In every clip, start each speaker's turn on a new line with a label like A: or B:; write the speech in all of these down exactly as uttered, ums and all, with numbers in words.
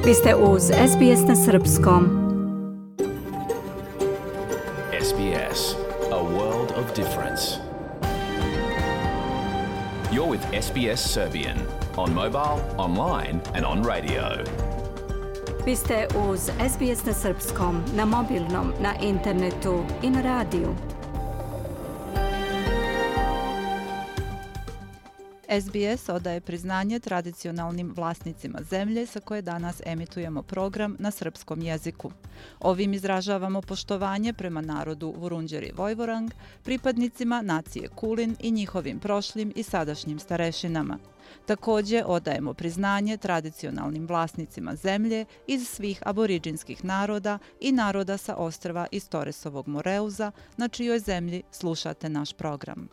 A: Vi ste uz S B S na srpskom.
B: S B S, a world of difference. You're with S B S Serbian on mobile, online and on radio.
A: Vi ste uz S B S na srpskom, na mobilnom, na internetu i na radiju.
C: S B S odaje priznanje tradicionalnim vlasnicima zemlje sa koje danas emitujemo program na srpskom jeziku. Ovim izražavamo poštovanje prema narodu Vurundjeri Vojvorang, pripadnicima nacije Kulin i njihovim prošlim i sadašnjim starešinama. Također odajemo priznanje tradicionalnim vlasnicima zemlje iz svih aboriđinskih naroda i naroda sa ostrva iz Toresovog Moreuza, na čijoj zemlji slušate naš program.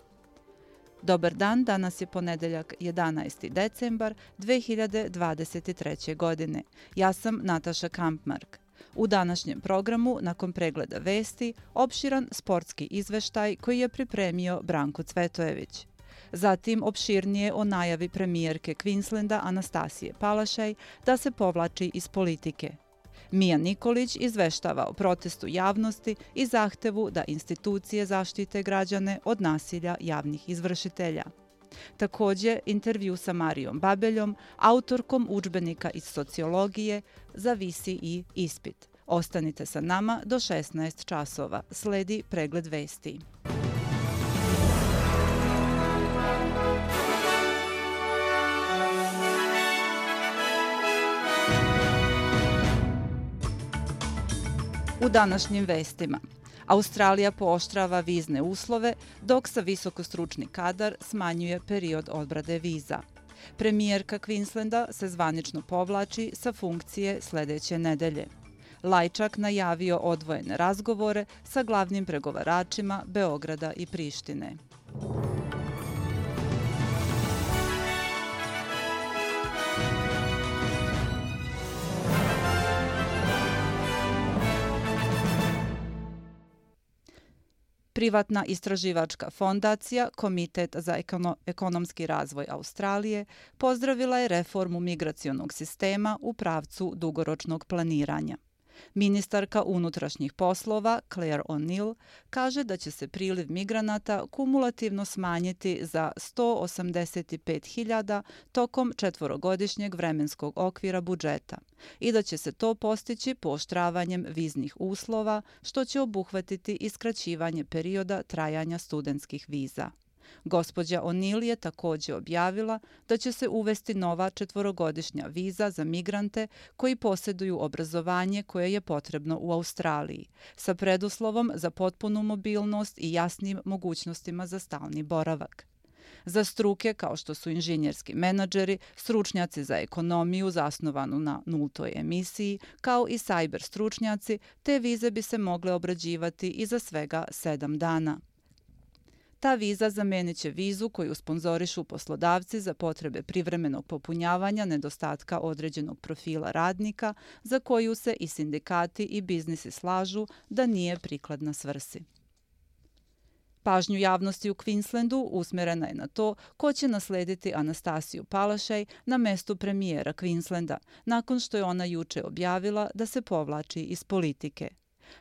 C: Dobar dan, danas je ponedeljak jedanaesti decembar dve hiljade dvadeset treće. godine. Ja sam Nataša Kampmark. U današnjem programu, nakon pregleda vesti, opširan sportski izveštaj koji je pripremio Branko Cvetojević. Zatim opširnije o najavi premijerke Queenslanda Anastasije Palaszczuk da se povlači iz politike. Mija Nikolić izveštava o protestu javnosti i zahtevu da institucije zaštite građane od nasilja javnih izvršitelja. Također, intervju sa Marijom Babeljom, autorkom udžbenika iz sociologije za V C E ispit. Ostanite sa nama do šesnaest časova. Sledi pregled vesti. U današnjim vestima. Australija pooštrava vizne uslove, dok sa visokostručni kadar smanjuje period odbrade viza. Premijerka Queenslanda se zvanično povlači sa funkcije sljedeće nedelje. Lajčak najavio odvojene razgovore sa glavnim pregovaračima Beograda i Prištine. Privatna istraživačka fondacija, Komitet za ekono- ekonomski razvoj Australije, pozdravila je reformu migracionog sistema u pravcu dugoročnog planiranja. Ministarka unutrašnjih poslova Claire O'Neill kaže da će se priliv migranata kumulativno smanjiti za sto osamdeset pet hiljada tokom četvorogodišnjeg vremenskog okvira budžeta i da će se to postići pooštravanjem viznih uslova, što će obuhvatiti i skraćivanje perioda trajanja studentskih viza. Gospođa O'Neill je također objavila da će se uvesti nova četvorogodišnja viza za migrante koji posjeduju obrazovanje koje je potrebno u Australiji, sa preduslovom za potpunu mobilnost i jasnim mogućnostima za stalni boravak. Za struke kao što su inženjerski menadžeri, stručnjaci za ekonomiju zasnovanu na nultoj emisiji, kao i cyber stručnjaci, te vize bi se mogle obrađivati i za svega sedam dana. Ta viza zamenit će vizu koju sponzorišu poslodavci za potrebe privremenog popunjavanja nedostatka određenog profila radnika, za koju se i sindikati i biznisi slažu da nije prikladna svrsi. Pažnju javnosti u Queenslandu usmjerena je na to ko će naslediti Anastasiju Palaszczuk na mestu premijera Queenslanda, nakon što je ona juče objavila da se povlači iz politike.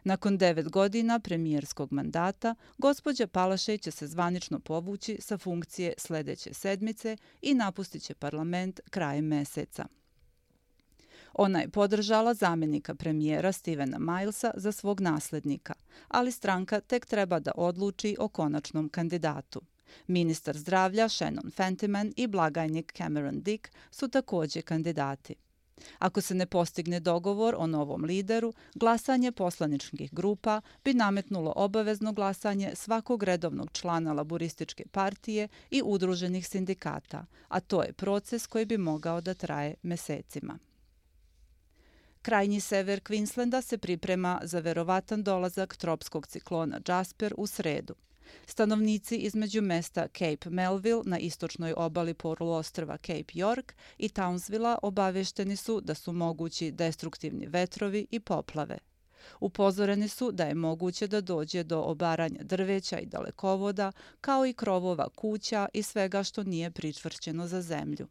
C: Nakon devet godina premijerskog mandata, gospođa Palaszczuk će se zvanično povući sa funkcije sljedeće sedmice i napustit će parlament krajem meseca. Ona je podržala zamjenika premijera Stevena Milesa za svog nasljednika, ali stranka tek treba da odluči o konačnom kandidatu. Ministar zdravlja Shannon Fentiman i blagajnik Cameron Dick su također kandidati. Ako se ne postigne dogovor o novom lideru, glasanje poslaničkih grupa bi nametnulo obavezno glasanje svakog redovnog člana laburističke partije i udruženih sindikata, a to je proces koji bi mogao da traje mesecima. Krajnji sever Queenslanda se priprema za verovatan dolazak tropskog ciklona Jasper u sredu. Stanovnici između mesta Cape Melville na istočnoj obali poluostrva Cape York i Townsvilla obavješteni su da su mogući destruktivni vetrovi i poplave. Upozoreni su da je moguće da dođe do obaranja drveća i dalekovoda, kao i krovova kuća i svega što nije pričvršćeno za zemlju.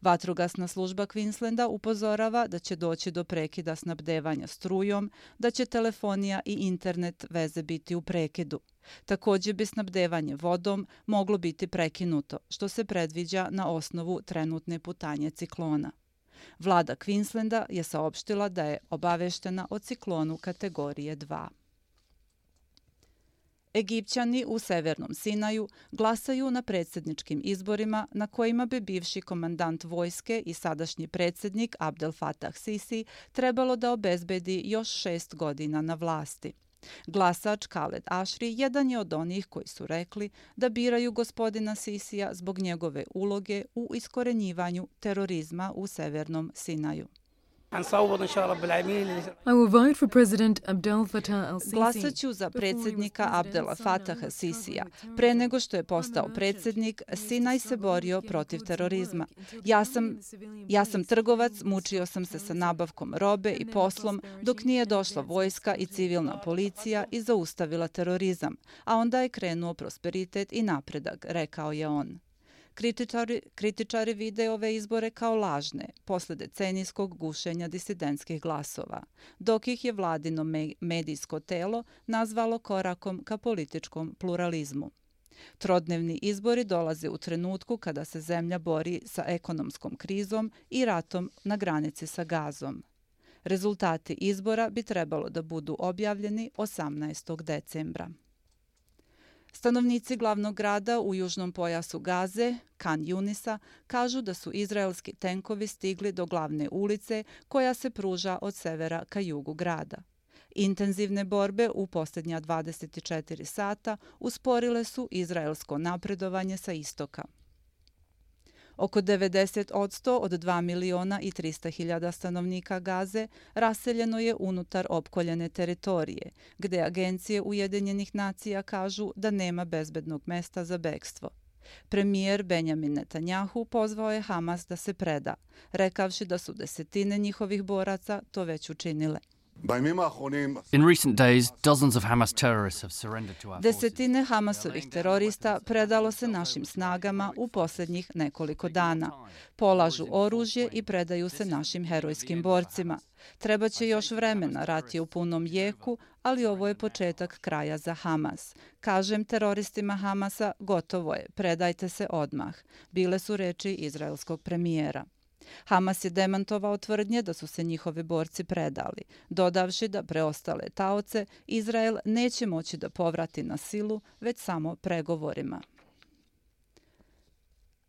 C: Vatrogasna služba Queenslanda upozorava da će doći do prekida snabdevanja strujom, da će telefonija i internet veze biti u prekidu. Također bi snabdevanje vodom moglo biti prekinuto, što se predviđa na osnovu trenutne putanje ciklona. Vlada Queenslanda je saopštila da je obaveštena o ciklonu kategorije dva. Egipćani u Severnom Sinaju glasaju na predsjedničkim izborima na kojima bi bivši komandant vojske i sadašnji predsjednik Abdel Fattah Sisi trebalo da obezbedi još šest godina na vlasti. Glasač Khaled Ashri jedan je od onih koji su rekli da biraju gospodina Sisija zbog njegove uloge u iskorenjivanju terorizma u Severnom Sinaju. Glasaću za predsjednika Abdela Fataha Sisija. Pre nego što je postao predsjednik, Sinaj se borio protiv terorizma. Ja sam, ja sam trgovac, mučio sam se sa nabavkom robe i poslom dok nije došla vojska i civilna policija i zaustavila terorizam, a onda je krenuo prosperitet i napredak, rekao je on. Kritičari, kritičari vide ove izbore kao lažne, posle decenijskog gušenja disidentskih glasova, dok ih je vladino me, medijsko telo nazvalo korakom ka političkom pluralizmu. Trodnevni izbori dolaze u trenutku kada se zemlja bori sa ekonomskom krizom i ratom na granici sa Gazom. Rezultati izbora bi trebalo da budu objavljeni osamnaestog decembra. Stanovnici glavnog grada u južnom pojasu Gaze, Khan Junisa, kažu da su izraelski tenkovi stigli do glavne ulice koja se pruža od severa ka jugu grada. Intenzivne borbe u posljednja dvadeset četiri sata usporile su izraelsko napredovanje sa istoka. Oko devedeset posto od dva miliona i trista hiljada stanovnika Gaze raseljeno je unutar opkoljene teritorije, gde agencije Ujedinjenih nacija kažu da nema bezbednog mesta za bekstvo. Premijer Benjamin Netanjahu pozvao je Hamas da se preda, rekavši da su desetine njihovih boraca to već učinile.
D: In recent days, dozens of Hamas terrorists have surrendered to our forces.
C: Desetine Hamasovih terorista predalo se našim snagama u posljednjih nekoliko dana. Polažu oružje i predaju se našim herojskim borcima. Trebaće još vremena, rat je u punom jeku, ali ovo je početak kraja za Hamas. Kažem teroristima Hamasa, gotovo je, predajte se odmah. Bile su reči izraelskog premijera. Hamas je demantovao tvrdnje da su se njihovi borci predali, dodavši da preostale taoce Izrael neće moći da povrati na silu, već samo pregovorima.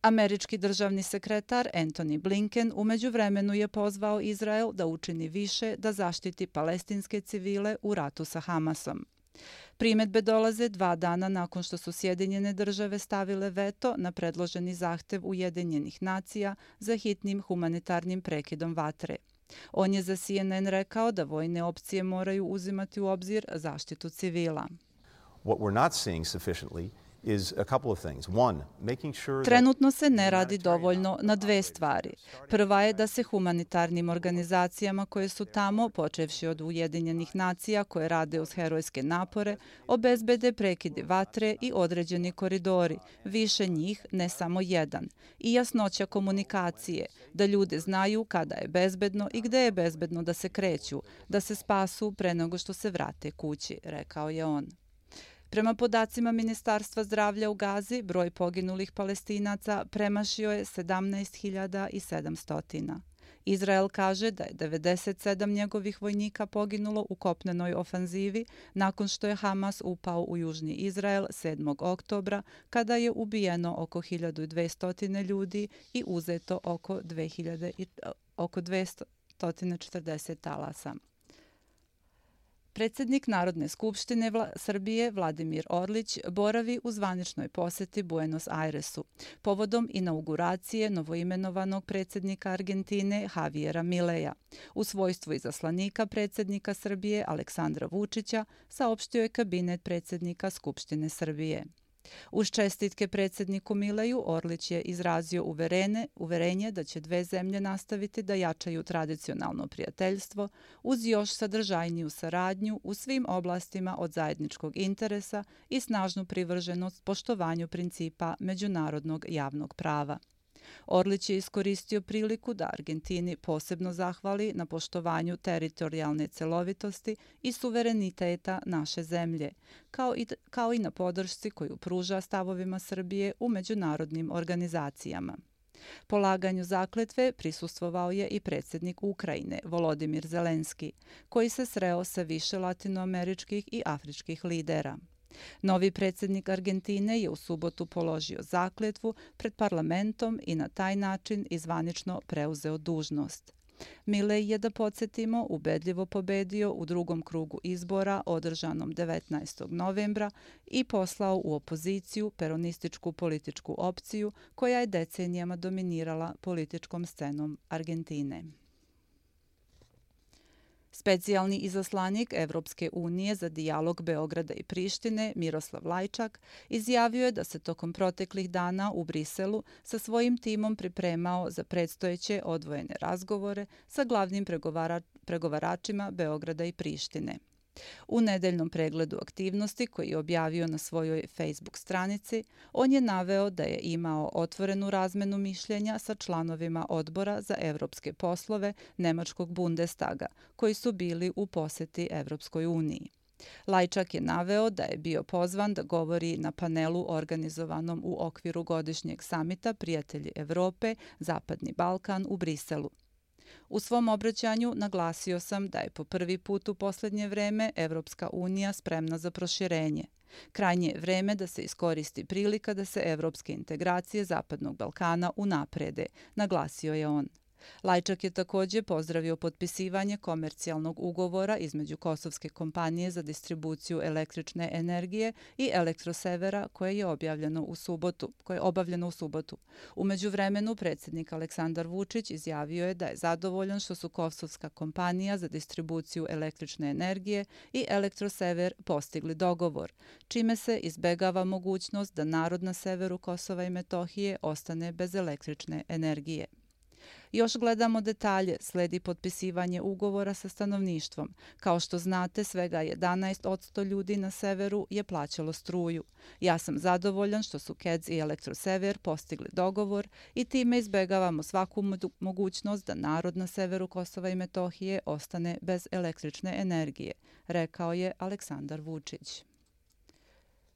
C: Američki državni sekretar Antony Blinken u međuvremenu je pozvao Izrael da učini više da zaštiti palestinske civile u ratu sa Hamasom. Primedbe dolaze dva dana nakon što su Sjedinjene države stavile veto na predloženi zahtev Ujedinjenih nacija za hitnim humanitarnim prekidom vatre. On je za C N N rekao da vojne opcije moraju uzimati u obzir zaštitu civila.
E: What we're not seeing sufficiently is a couple of things. One, making sure
C: Trenutno se ne radi dovoljno na dve stvari. Prva je da se humanitarnim organizacijama koje su tamo, počevši od Ujedinjenih nacija koje rade uz herojske napore, obezbede prekidi vatre i određeni koridori, više njih, ne samo jedan, i jasnoća komunikacije, da ljudi znaju kada je bezbedno i gde je bezbedno da se kreću, da se spasu pre nego što se vrate kući, rekao je on. Prema podacima Ministarstva zdravlja u Gazi, broj poginulih Palestinaca premašio je sedamnaest hiljada sedamsto. Izrael kaže da je devedeset sedam njegovih vojnika poginulo u kopnenoj ofanzivi nakon što je Hamas upao u južni Izrael sedmog oktobra, kada je ubijeno oko hiljadu dvesta ljudi i uzeto oko, dve hiljade, oko dvesta četrdeset talasa. Predsjednik Narodne skupštine Vla- Srbije Vladimir Orlić boravi u zvaničnoj poseti Buenos Airesu povodom inauguracije novoimenovanog predsjednika Argentine Javiera Mileja. U svojstvu izaslanika predsjednika Srbije Aleksandra Vučića saopštio je kabinet predsjednika Skupštine Srbije. Uz čestitke predsjedniku Mileju, Orlić je izrazio uverene, uverenje da će dve zemlje nastaviti da jačaju tradicionalno prijateljstvo uz još sadržajniju saradnju u svim oblastima od zajedničkog interesa i snažnu privrženost poštovanju principa međunarodnog javnog prava. Orlić je iskoristio priliku da Argentini posebno zahvali na poštovanju teritorijalne celovitosti i suvereniteta naše zemlje, kao i, kao i na podršci koju pruža stavovima Srbije u međunarodnim organizacijama. Polaganju zakletve prisustvovao je i predsjednik Ukrajine, Volodimir Zelenski, koji se sreo sa više latinoameričkih i afričkih lidera. Novi predsjednik Argentine je u subotu položio zakletvu pred parlamentom i na taj način izvanično preuzeo dužnost. Milei je, da podsjetimo, ubedljivo pobedio u drugom krugu izbora održanom devetnaestog novembra i poslao u opoziciju peronističku političku opciju koja je decenijama dominirala političkom scenom Argentine. Specijalni izaslanik Evropske unije za dijalog Beograda i Prištine, Miroslav Lajčak, izjavio je da se tokom proteklih dana u Briselu sa svojim timom pripremao za predstojeće odvojene razgovore sa glavnim pregovara, pregovaračima Beograda i Prištine. U nedeljnom pregledu aktivnosti koji je objavio na svojoj Facebook stranici, on je naveo da je imao otvorenu razmenu mišljenja sa članovima odbora za evropske poslove Nemačkog Bundestaga, koji su bili u poseti Evropskoj uniji. Lajčak je naveo da je bio pozvan da govori na panelu organizovanom u okviru godišnjeg samita Prijatelji Evrope, Zapadni Balkan u Briselu. U svom obraćanju naglasio sam da je po prvi put u posljednje vreme Evropska unija spremna za proširenje. Krajnje je vreme da se iskoristi prilika da se evropske integracije Zapadnog Balkana unaprede, naglasio je on. Lajčak je također pozdravio potpisivanje komercijalnog ugovora između kosovske kompanije za distribuciju električne energije i Elektrosevera koje je objavljeno u subotu, koje je obavljeno u subotu. U međuvremenu predsjednik Aleksandar Vučić izjavio je da je zadovoljan što su kosovska kompanija za distribuciju električne energije i Elektrosever postigli dogovor, čime se izbegava mogućnost da narod na severu Kosova i Metohije ostane bez električne energije. Još gledamo detalje, sledi potpisivanje ugovora sa stanovništvom. Kao što znate, svega jedanaest posto ljudi na severu je plaćalo struju. Ja sam zadovoljan što su K E D S i Elektrosever postigli dogovor i time izbegavamo svaku mogućnost da narod na severu Kosova i Metohije ostane bez električne energije, rekao je Aleksandar Vučić.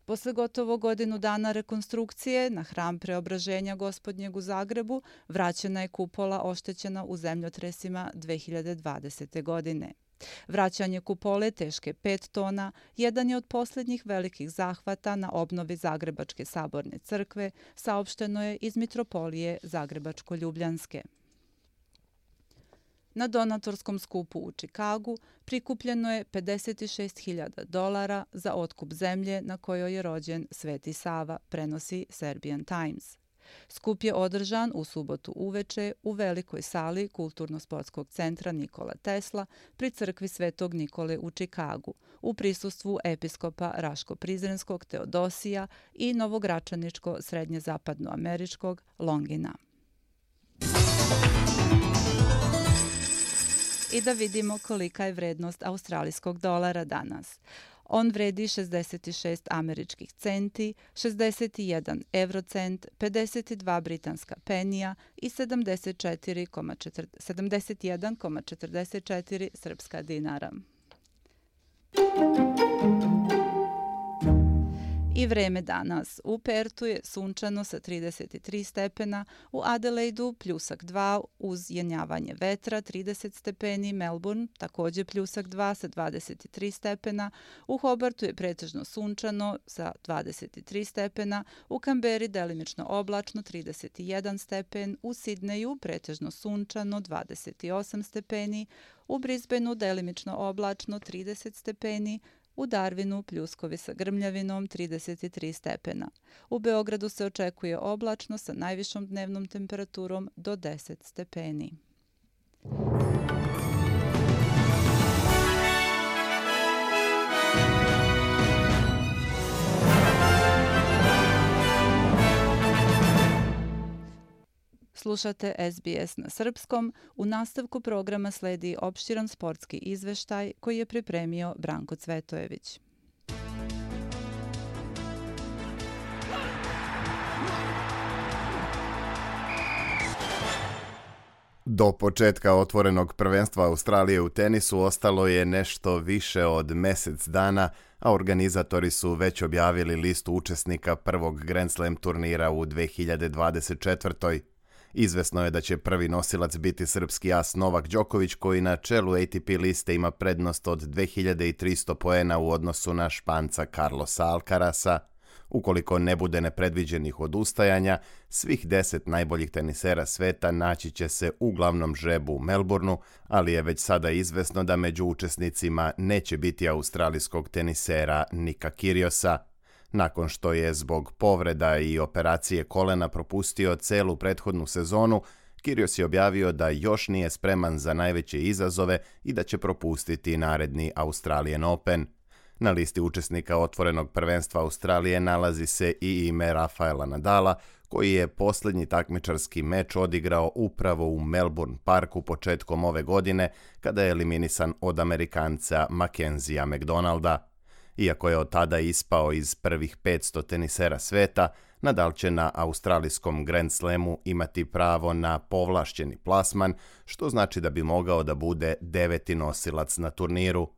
C: Posle gotovo godinu dana rekonstrukcije na hram Preobraženja Gospodnjeg u Zagrebu vraćena je kupola oštećena u zemljotresima dve hiljade dvadesete. godine. Vraćanje kupole teške pet tona jedan je od posljednjih velikih zahvata na obnovi Zagrebačke saborne crkve, saopšteno je iz Mitropolije Zagrebačko-Ljubljanske. Na donatorskom skupu u Čikagu prikupljeno je pedeset šest hiljada dolara za otkup zemlje na kojoj je rođen Sveti Sava, prenosi Serbian Times. Skup je održan u subotu uveče u velikoj sali Kulturno-sportskog centra Nikola Tesla pri crkvi Svetog Nikole u Čikagu, u prisustvu episkopa Raško-Prizrenskog Teodosija i novogračaničko-srednjezapadnoameričkog Longina. I da vidimo kolika je vrednost australijskog dolara danas. On vredi šezdeset šest američkih centi, šezdeset jedan eurocent, pedeset dva britanska penija i sedamdeset jedan zarez četrdeset četiri srpska dinara. I vreme danas. U Pertu je sunčano sa trideset tri stepena, u Adelaidu pljusak dva uz jenjavanje vetra trideset stepeni, Melbourne također pljusak dva sa dvadeset tri stepena, u Hobartu je pretežno sunčano sa dvadeset tri stepena, u Kamberi delimično oblačno trideset jedan stepen, u Sidneju pretežno sunčano dvadeset osam stepeni, u Brisbaneu delimično oblačno trideset stepeni, u Darwinu pljuskovi sa grmljavinom trideset tri stepena. U Beogradu se očekuje oblačno sa najvišom dnevnom temperaturom do deset stepeni. Slušate S B S na srpskom. U nastavku programa sledi opširan sportski izveštaj koji je pripremio Branko Cvetojević.
F: Do početka otvorenog prvenstva Australije u tenisu ostalo je nešto više od mjesec dana, a organizatori su već objavili listu učesnika prvog Grand Slam turnira u dve hiljade dvadeset četvrtoj. Izvesno je da će prvi nosilac biti srpski as Novak Đoković, koji na čelu A T P liste ima prednost od dve hiljade tristo poena u odnosu na Španca Carlosa Alcarasa. Ukoliko ne bude nepredviđenih odustajanja, svih deset najboljih tenisera sveta naći će se u glavnom žrebu u Melbourneu, ali je već sada izvesno da među učesnicima neće biti australijskog tenisera Nika Kyrgiosa. Nakon što je zbog povreda i operacije kolena propustio celu prethodnu sezonu, Kyrgios je objavio da još nije spreman za najveće izazove i da će propustiti naredni Australian Open. Na listi učesnika otvorenog prvenstva Australije nalazi se i ime Rafaela Nadala, koji je posljednji takmičarski meč odigrao upravo u Melbourne Parku početkom ove godine, kada je eliminisan od Amerikanca Mackenzija McDonalda. Iako je od tada ispao iz prvih petsto tenisera sveta, Nadal će na australijskom Grand Slamu imati pravo na povlašćeni plasman, što znači da bi mogao da bude deveti nosilac na turniru.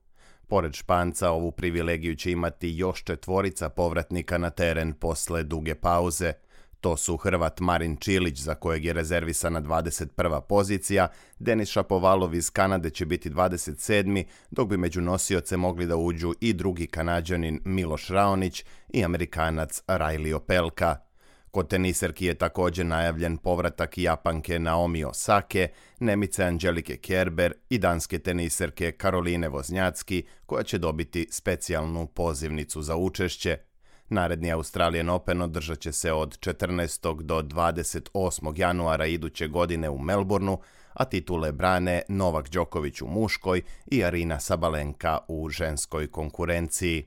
F: Pored Španca, ovu privilegiju će imati još četvorica povratnika na teren posle duge pauze. To su Hrvat Marin Čilić, za kojeg je rezervisana dvadeset prva pozicija, Denis Šapovalov iz Kanade će biti dvadeset sedmi, dok bi među nosioce mogli da uđu i drugi Kanađanin Miloš Raonić i Amerikanac Riley Opelka. Kod teniserki je također najavljen povratak Japanke Naomi Osake, Nemice Angelike Kerber i danske teniserke Karoline Voznjacki, koja će dobiti specijalnu pozivnicu za učešće. Naredni Australian Open održat će se od četrnaestog do dvadeset osmog januara iduće godine u Melbourneu, a titule brane Novak Đoković u muškoj i Arina Sabalenka u ženskoj konkurenciji.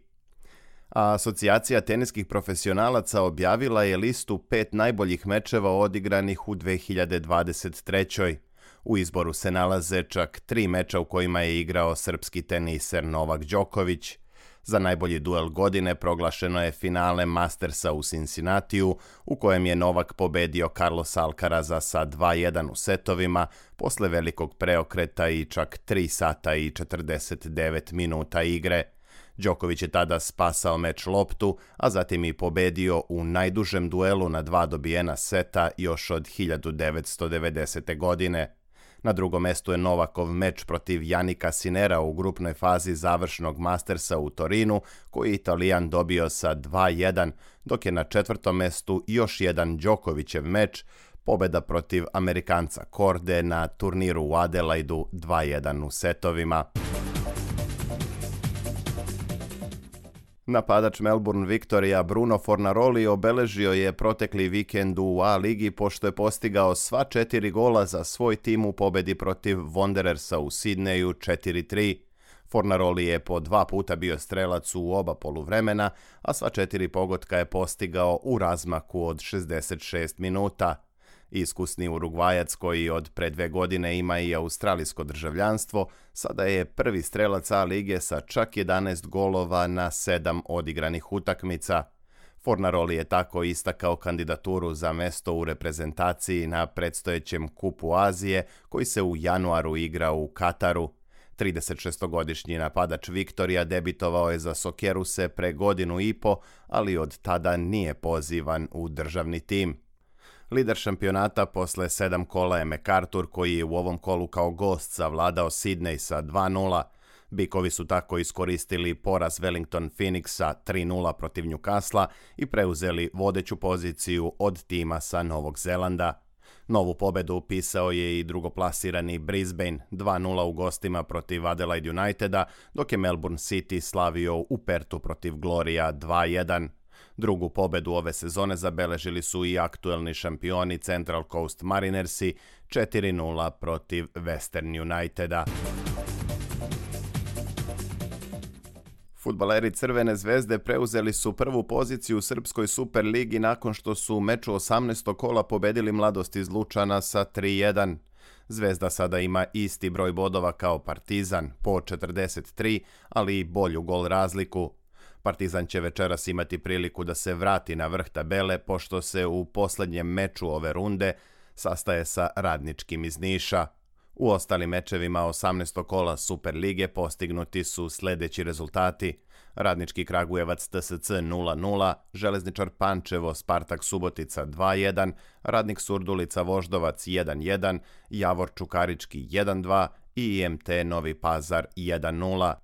F: A asocijacija teniskih profesionalaca objavila je listu pet najboljih mečeva odigranih u dve hiljade dvadeset trećoj. U izboru se nalaze čak tri meča u kojima je igrao srpski teniser Novak Đoković. Za najbolji duel godine proglašeno je finale Mastersa u Cincinnatiju, u kojem je Novak pobedio Carlosa Alcaraza sa dva jedan u setovima, posle velikog preokreta i čak tri sata i četrdeset devet minuta igre. Đoković je tada spasao meč loptu, a zatim i pobedio u najdužem duelu na dva dobijena seta još od hiljadu devetsto devedesete. godine. Na drugom mestu je Novakov meč protiv Janika Sinera u grupnoj fazi završnog Mastersa u Torinu, koji je Italijan dobio sa dva jedan, dok je na četvrtom mestu još jedan Đokovićev meč, pobeda protiv Amerikanca Korde na turniru u Adelaidu dva jedan u setovima. Napadač Melbourne Victoria Bruno Fornaroli obeležio je protekli vikend u A ligi pošto je postigao sva četiri gola za svoj tim u pobedi protiv Wanderersa u Sidneju četiri tri. Fornaroli je po dva puta bio strelac u oba poluvremena, a sva četiri pogotka je postigao u razmaku od šezdeset šest minuta. Iskusni Urugvajac, koji od pre dve godine ima i australijsko državljanstvo, sada je prvi strelac A lige sa čak jedanaest golova na sedam odigranih utakmica. Fornaroli je tako istakao kandidaturu za mesto u reprezentaciji na predstojećem Kupu Azije, koji se u januaru igra u Kataru. tridesetšestogodišnji napadač Viktorija debitovao je za Sokeruse pre godinu i po, ali od tada nije pozivan u državni tim. Lider šampionata posle sedam kola je MacArthur, koji je u ovom kolu kao gost savladao Sidney sa dva nula. Bikovi su tako iskoristili poraz Wellington Phoenixa tri nula protiv Newcastle i preuzeli vodeću poziciju od tima sa Novog Zelanda. Novu pobedu upisao je i drugoplasirani Brisbane dva nula u gostima protiv Adelaide Uniteda, dok je Melbourne City slavio u Pertu protiv Gloria dva jedan. Drugu pobedu ove sezone zabeležili su i aktuelni šampioni Central Coast Marinersi četiri nula protiv Western Uniteda. Fudbaleri Crvene zvezde preuzeli su prvu poziciju u Srpskoj Superligi nakon što su u meču osamnaestog kola pobedili Mladost iz Lučana sa tri jedan. Zvezda sada ima isti broj bodova kao Partizan, po četrdeset tri, ali i bolju gol razliku. Partizan će večeras imati priliku da se vrati na vrh tabele, pošto se u posljednjem meču ove runde sastaje sa Radničkim iz Niša. U ostalim mečevima osamnaestog kola Super lige postignuti su sljedeći rezultati: Radnički Kragujevac T S C nula nula, Železničar Pančevo Spartak Subotica dva jedan, Radnik Surdulica Voždovac jedan jedan, Javor Čukarički jedan dva i I M T Novi Pazar jedan nula.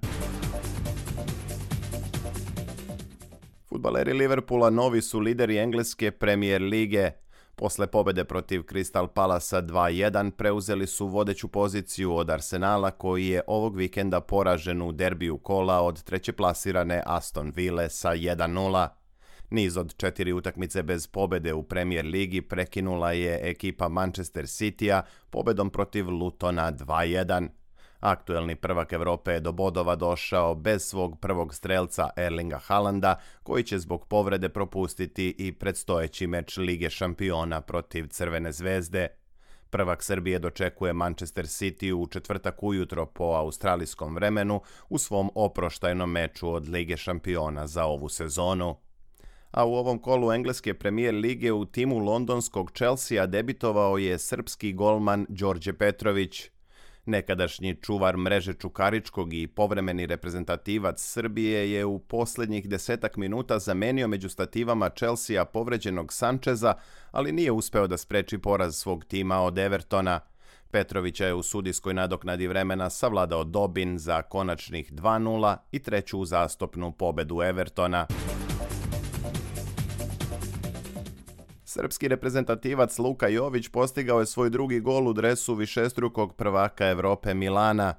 F: Fudbaleri Liverpoola novi su lideri engleske Premier lige. Posle pobede protiv Crystal Palasa dva jedan preuzeli su vodeću poziciju od Arsenala, koji je ovog vikenda poražen u derbiju kola od trećeplasirane Aston Ville sa jedan nula. Niz od četiri utakmice bez pobede u Premier ligi prekinula je ekipa Manchester Citya pobedom protiv Lutona dva jedan. Aktuelni prvak Evrope je do bodova došao bez svog prvog strelca Erlinga Haalanda, koji će zbog povrede propustiti i predstojeći meč Lige šampiona protiv Crvene zvezde. Prvak Srbije dočekuje Manchester City u četvrtak ujutro po australijskom vremenu u svom oproštajnom meču od Lige šampiona za ovu sezonu. A u ovom kolu engleske Premier lige u timu londonskog Chelsea debitovao je srpski golman Đorđe Petrović. Nekadašnji čuvar mreže Čukaričkog i povremeni reprezentativac Srbije je u posljednjih desetak minuta zamenio među stativama Chelsea povređenog Sančeza, ali nije uspeo da spreči poraz svog tima od Evertona. Petrovića je u sudijskoj nadoknadi vremena savladao Dobin za konačnih dva nula i treću uzastopnu pobedu Evertona. Srpski reprezentativac Luka Jović postigao je svoj drugi gol u dresu višestrukog prvaka Evrope Milana.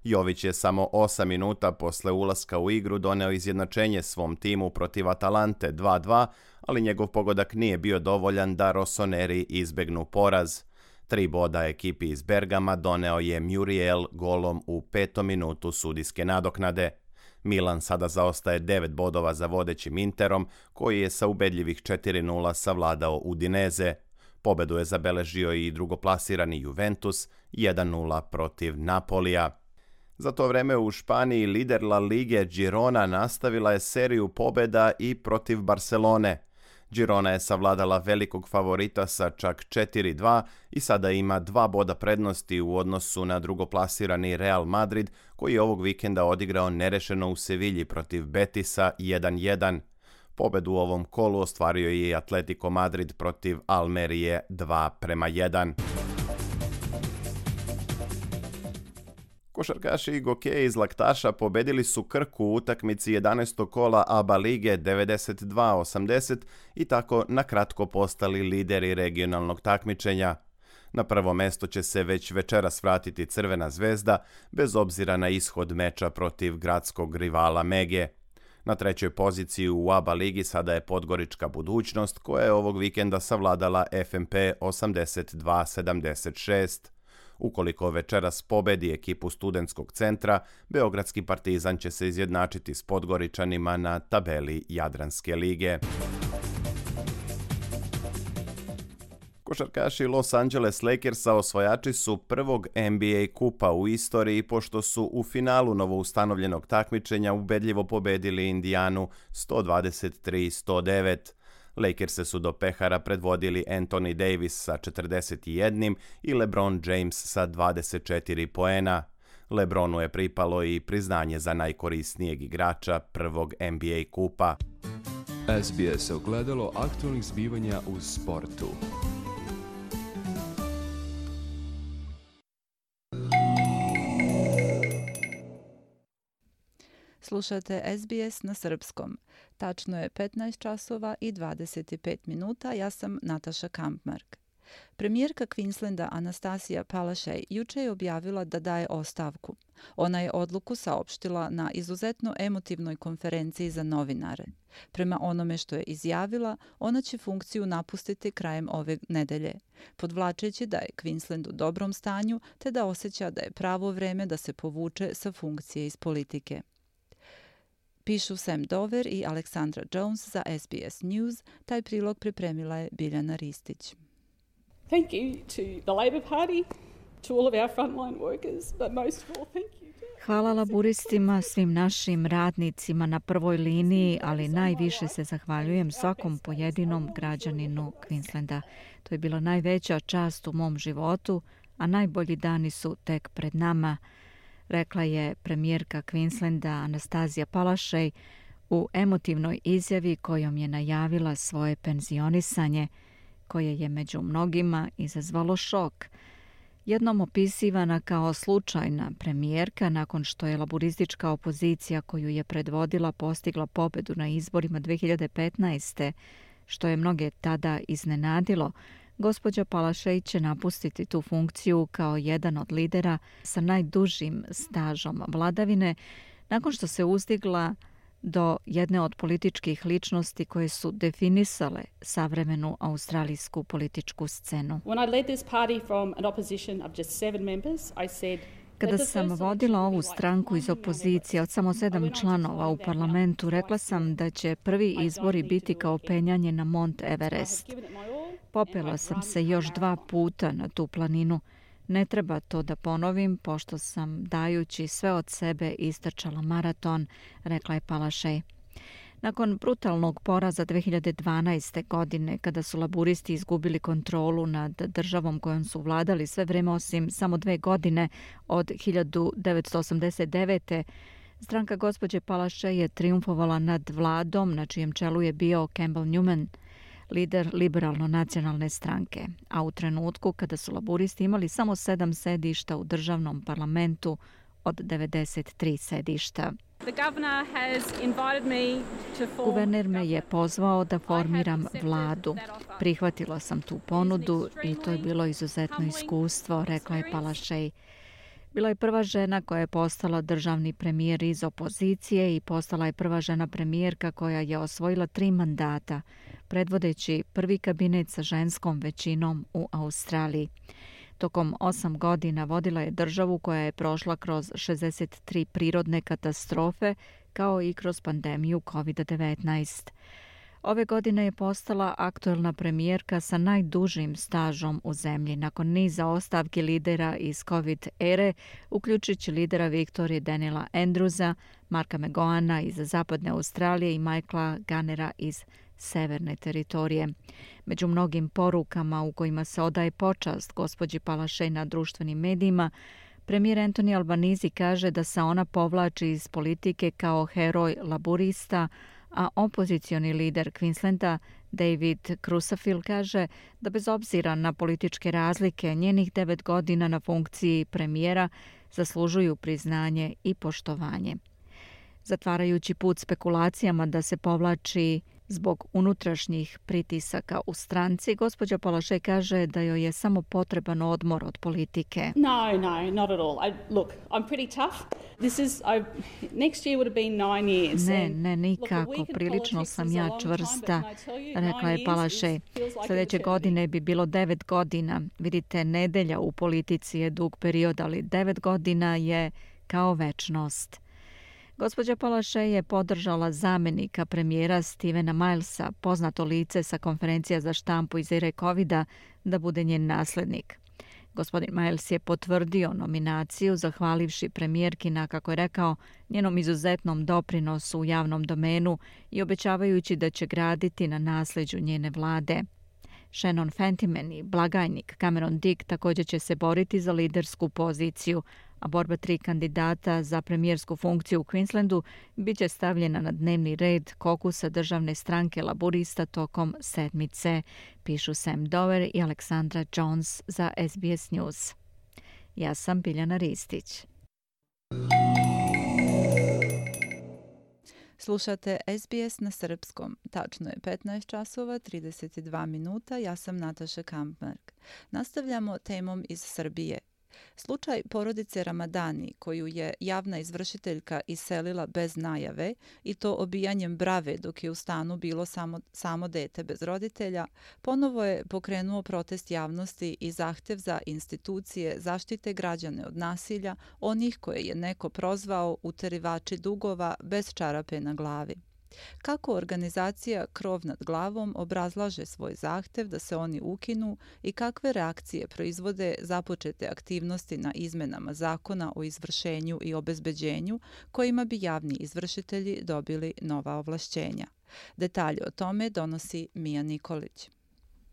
F: Jović je samo osam minuta posle ulaska u igru doneo izjednačenje svom timu protiv Atalante dva dva, ali njegov pogodak nije bio dovoljan da Rossoneri izbegnu poraz. Tri boda ekipi iz Bergama doneo je Muriel golom u petom minutu sudijske nadoknade. Milan sada zaostaje devet bodova za vodećim Interom, koji je sa ubedljivih četiri nula savladao Udineze. Pobedu je zabeležio i drugoplasirani Juventus jedan nula protiv Napolija. Za to vreme u Španiji lider La Lige Girona nastavila je seriju pobeda i protiv Barcelone. Girona je savladala velikog favorita sa čak četiri dva i sada ima dva boda prednosti u odnosu na drugoplasirani Real Madrid, koji je ovog vikenda odigrao nerešeno u Sevilji protiv Betisa jedan jedan. Pobedu u ovom kolu ostvario je i Atletico Madrid protiv Almerije dva prema jedan. Košarkaši i gokeji iz Laktaša pobedili su Krku u utakmici jedanaestog kola A B A lige devedeset dva osamdeset i tako na kratko postali lideri regionalnog takmičenja. Na prvo mesto će se već večeras vratiti Crvena zvezda, bez obzira na ishod meča protiv gradskog rivala Mege. Na trećoj poziciji u A B A ligi sada je Podgorička Budućnost, koja je ovog vikenda savladala F M P osamdeset dva sedamdeset šest. Ukoliko večeras pobedi ekipu Studentskog centra, Beogradski Partizan će se izjednačiti s Podgoričanima na tabeli Jadranske lige. Košarkaši Los Angeles Lakersa osvajači su prvog N B A kupa u istoriji, pošto su u finalu novoustanovljenog takmičenja ubedljivo pobedili Indijanu sto dvadeset tri sto devet. Lakerse su do pehara predvodili Anthony Davis sa četrdeset jedan i LeBron James sa dvadeset četiri poena. LeBronu je pripalo i priznanje za najkorisnijeg igrača prvog N B A kupa.
G: S B S ogledalo aktualnih zbivanja u sportu.
C: Slušate S B S na srpskom. Tačno je petnaest časova i dvadeset pet minuta. Ja sam Nataša Kampmark. Premijerka Queenslanda Anastasija Palaszczuk juče je objavila da daje ostavku. Ona je odluku saopštila na izuzetno emotivnoj konferenciji za novinare. Prema onome što je izjavila, ona će funkciju napustiti krajem ove nedelje, podvlačeći da je Queensland u dobrom stanju te da osjeća da je pravo vreme da se povuče sa funkcije iz politike. Pišu Sam Dover i Aleksandra Jones za S B S News. Taj prilog pripremila je Biljana Ristić.
H: Thank you to the Labor Party, to all of our frontline workers, but most of all, thank you to... Hvala laburistima, svim našim radnicima na prvoj liniji, ali najviše se zahvaljujem svakom pojedinom građaninu Queenslanda. To je bila najveća čast u mom životu, a najbolji dani su tek pred nama, rekla je premijerka Queenslanda Anastazija Palaszczuk u emotivnoj izjavi kojom je najavila svoje penzionisanje, koje je među mnogima izazvalo šok. Jednom opisivana kao slučajna premijerka nakon što je laburistička opozicija koju je predvodila postigla pobedu na izborima dve hiljade petnaeste. što je mnoge tada iznenadilo, gospođa Palaszczuk će napustiti tu funkciju kao jedan od lidera sa najdužim stažom vladavine nakon što se uzdigla do jedne od političkih ličnosti koje su definisale savremenu australijsku političku scenu. Kada sam vodila ovu stranku iz opozicije od samo sedam članova u parlamentu, rekla sam da će prvi izbori biti kao penjanje na Mont Everest. Popela sam se još dva puta na tu planinu. Ne treba to da ponovim, pošto sam dajući sve od sebe istrčala maraton, rekla je Palaszczuk. Nakon brutalnog poraza dve hiljade dvanaeste. godine, kada su laburisti izgubili kontrolu nad državom kojom su vladali sve vreme osim samo dve godine od hiljadu devetsto osamdeset devete. stranka gospođe Palaszczuk je triumfovala nad vladom na čijem čelu je bio Campbell Newman, lider liberalno-nacionalne stranke, a u trenutku kada su laburisti imali samo sedam sedišta u državnom parlamentu od devedeset tri sedišta. Guverner me je pozvao da formiram vladu. Prihvatila sam tu ponudu i to je bilo izuzetno iskustvo, rekla je Palaszczuk. Bila je prva žena koja je postala državni premijer iz opozicije i postala je prva žena premijerka koja je osvojila tri mandata, predvodeći prvi kabinet sa ženskom većinom u Australiji. Tokom osam godina vodila je državu koja je prošla kroz šezdeset tri prirodne katastrofe, kao i kroz pandemiju kovid devetnaest. Ove godine je postala aktuelna premijerka sa najdužim stažom u zemlji, nakon niza ostavki lidera iz COVID ere, uključujući lidera Viktorije Daniela Andrewsa, Marka McGohana iz zapadne Australije i Michaela Gunnera iz severne teritorije. Među mnogim porukama u kojima se odaje počast gospođi Palaszczuk na društvenim medijima, premijer Anthony Albanese kaže da se ona povlači iz politike kao heroj laburista, a opozicioni lider Queenslanda David Crusafield kaže da bez obzira na političke razlike njenih devet godina na funkciji premijera zaslužuju priznanje i poštovanje. Zatvarajući put spekulacijama da se povlači zbog unutrašnjih pritisaka u stranci, gospođa Palaszczuk kaže da joj je samo potreban odmor od politike.
I: No, no, not at all. I, look, I'm pretty tough. This is, I, next year would have been nine years.
H: Ne, ne, nikako. Prilično sam ja čvrsta, rekla je Palaszczuk. Sljedeće godine bi bilo devet godina. Vidite, nedelja u politici je dug period, ali devet godina je kao večnost. Gospođa Palaszczuk je podržala zamjenika premijera Stevena Milesa, poznato lice sa konferencija za štampu iz ere covida, da bude njen naslednik. Gospodin Miles je potvrdio nominaciju, zahvalivši premijerki na, kako je rekao, njenom izuzetnom doprinosu u javnom domenu i obećavajući da će graditi na nasljeđu njene vlade. Shannon Fentiman i blagajnik Cameron Dick također će se boriti za lidersku poziciju, a borba tri kandidata za premijersku funkciju u Queenslandu bit će stavljena na dnevni red kokusa državne stranke laburista tokom sedmice, pišu Sam Dover i Aleksandra Jones za S B S News. Ja sam Biljana Ristić.
C: Slušate S B S na srpskom. Tačno je petnaest časova, trideset dva minuta. Ja sam Nataša Kampmark. Nastavljamo temom iz Srbije. Slučaj porodice Ramadani, koju je javna izvršiteljka iselila bez najave i to obijanjem brave dok je u stanu bilo samo, samo dete bez roditelja, ponovo je pokrenuo protest javnosti i zahtev za institucije zaštite građane od nasilja, onih koje je neko prozvao uterivači dugova bez čarape na glavi. Kako organizacija Krov nad glavom obrazlaže svoj zahtev da se oni ukinu i kakve reakcije proizvode započete aktivnosti na izmenama zakona o izvršenju i obezbeđenju kojima bi javni izvršitelji dobili nova ovlašćenja. Detalje o tome donosi Mija Nikolić.